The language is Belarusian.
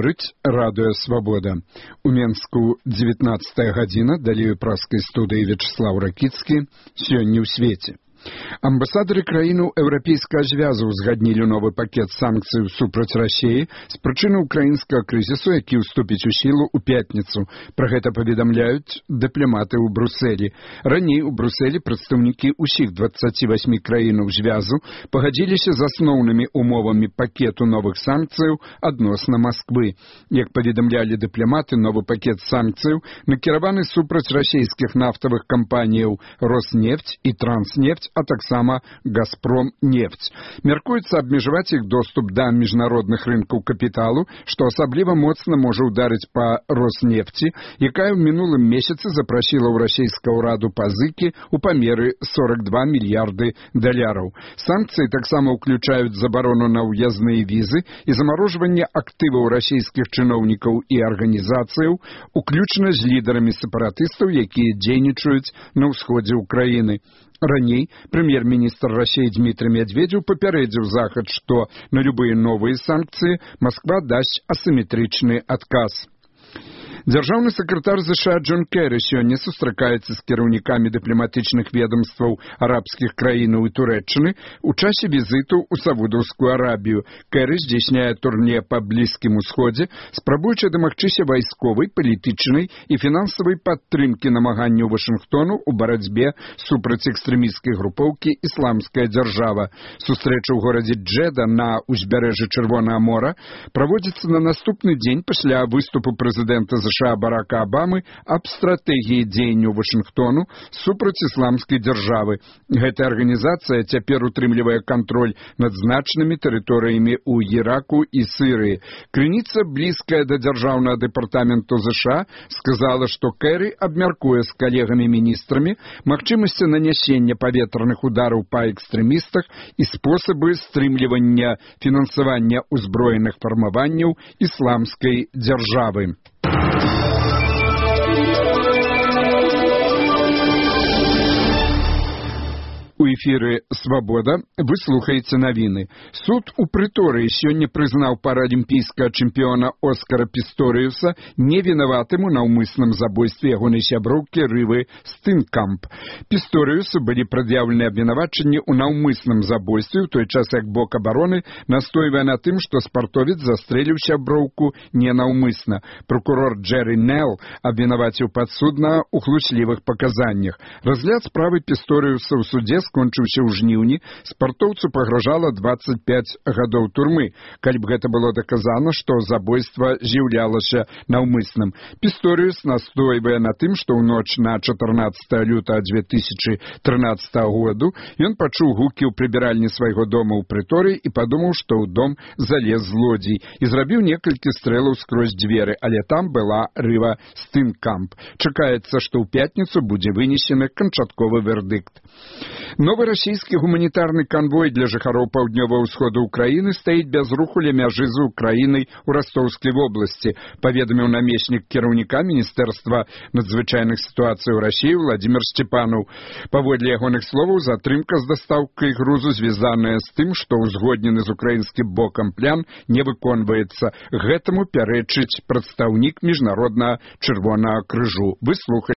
Гаворыць радыё «Свабода». У Менску 19 гадзіна, далей у праскай студыі Вячеслав Ракіцкі. Сёння ў свеце. Амбасадары краінаў Еўрапейскага звязу узгаднілі новы пакет санкцый супраць Расіі з прычыны ўкраінскага крызісу, які ўступіць у сілу ў пятніцу. Пра гэта паведамляюць дыпламаты ў Брусэлі. Раней у Брусэлі прадстаўнікі ўсіх 28 краінаў звязу пагадзіліся з асноўнымі умовамі пакету новых санкцыяў адносна Масквы. Як паведамлялі дыпламаты, новы пакет санкцыяў накіраваны супраць расійскіх нафтавых кампаніяў «Роснефть» і «Транснефть», а таксама «Газпром-нефть». Мяркуецца абмежаваць іх доступ да міжнародных рынкаў капіталу, што асабліва моцна можа ўдарыць па «Роснефці», якая ў мінулым месяцы запрасіла ў расійскага ўраду пазыкі ў памеры 42 мільярды даляраў. Санкцыі таксама ўключаюць забарону на ўязныя візы і замарожванне актываў расійскіх чыноўнікаў і арганізацыяў, уключна з лідарамі сепаратыстаў, якія дзейнічаюць на ўсходзе ўкраіны. Раней прэм'ер-міністр Расіі Дмітрый Медведзеў папярэдзіў Захад, што на любыя новыя санкцыі Масква дасць асіметрычны адказ. Дзяржаўны сакратар США Джон Керрі сёння сустракаецца з кіраўнікамі дыпламатычных ведомстваў арабскіх краінаў і Турэччыны ў часе візіту ў Саудаўскую Арабію. Керрі здзяйсняе турне па Блізкім Усходзе, спрабуючы дамагчыся вайсковай, палітычнай і фінансавай падтрымкі намаганняў Вашынгтону ў барацьбе супраць экстрэмісцкай групоўкі «Ісламская дзяржава». Сустрэча ў горадзе Джэда на ўзбярэжжы Чырвонага мора праводзіцца на наступны дзень пасля выступу прэзідэнта США Барака Абамы аб стратэгіі дзеянняў Вашынгтону супраць ісламскай дзяржавы. Гэтая арганізацыя цяпер утрымлівае кантроль над значнымі тэрыторыямі ў Іраку і Сірыі. Крыніца, блізкая да дзяржаўнага дэпартаменту США, сказала, што Керрі абмяркуе з калегамі-міністрамі магчымасці нанясення паветраных удараў па экстрэмістах і спосабы стрымлівання фінансавання ўзброеных фармаванняў ісламскай дзяржавы. У эфіры «Свабода» вы слухаеце навіны. Суд у Прыторыі сёння прызнаў паралімпійскага чэмпіёна Оскара Пісторыуса невінаватым у наўмысным забойстве ягонай сяброўкі Рывы Стынкамп. Пісторыусу былі прад'яўлены абвінавачанні ў наўмысным забойстве, у той час як бок абароны настойвае на тым, што спартовец застрэліў сяброўку ненаўмысна. Прокурор Джерри Нелл абвінаваціў падсуднага ў хлуслівых паказаннях. Разгляд справы Пісторыуса ў судзе скончыўся ў жніўні, спартоўцу пагражала 25 гадоў турмы, калі б гэта было даказана, што забойства з'яўлялася наўмысным. Пісторыус настойвае на тым, што ў ноч на 14 лютага 2013 году ён пачуў гукі ў прыбіральні свайго дома ў Прыторыі і падумаў, што ў дом залез злодзей і зрабіў некалькі стрэлаў скрозь дзверы, але там была Рыва Стынкамп. Чакаецца, што ў пятніцу будзе вынесены канчатковы вердыкт. Новы расійскі гуманітарны канвой для жыхароў паўднёвага ўсходу ўкраіны стаіць без руху ля мяжы з Украінай у Растоўскай вобласці, паведаміў намеснік кіраўніка Міністэрства надзвычайных сітуацый у Расіі Владзімір Сцепанаў. Паводле ягоных словаў, затрымка з дастаўкай грузу звязаная з тым, што ўзгоднены з украінскім бокам план не выконваецца. Гэтаму пярэчыць прадстаўнік міжнароднага Чырвонага крыжу. Вы слухаеце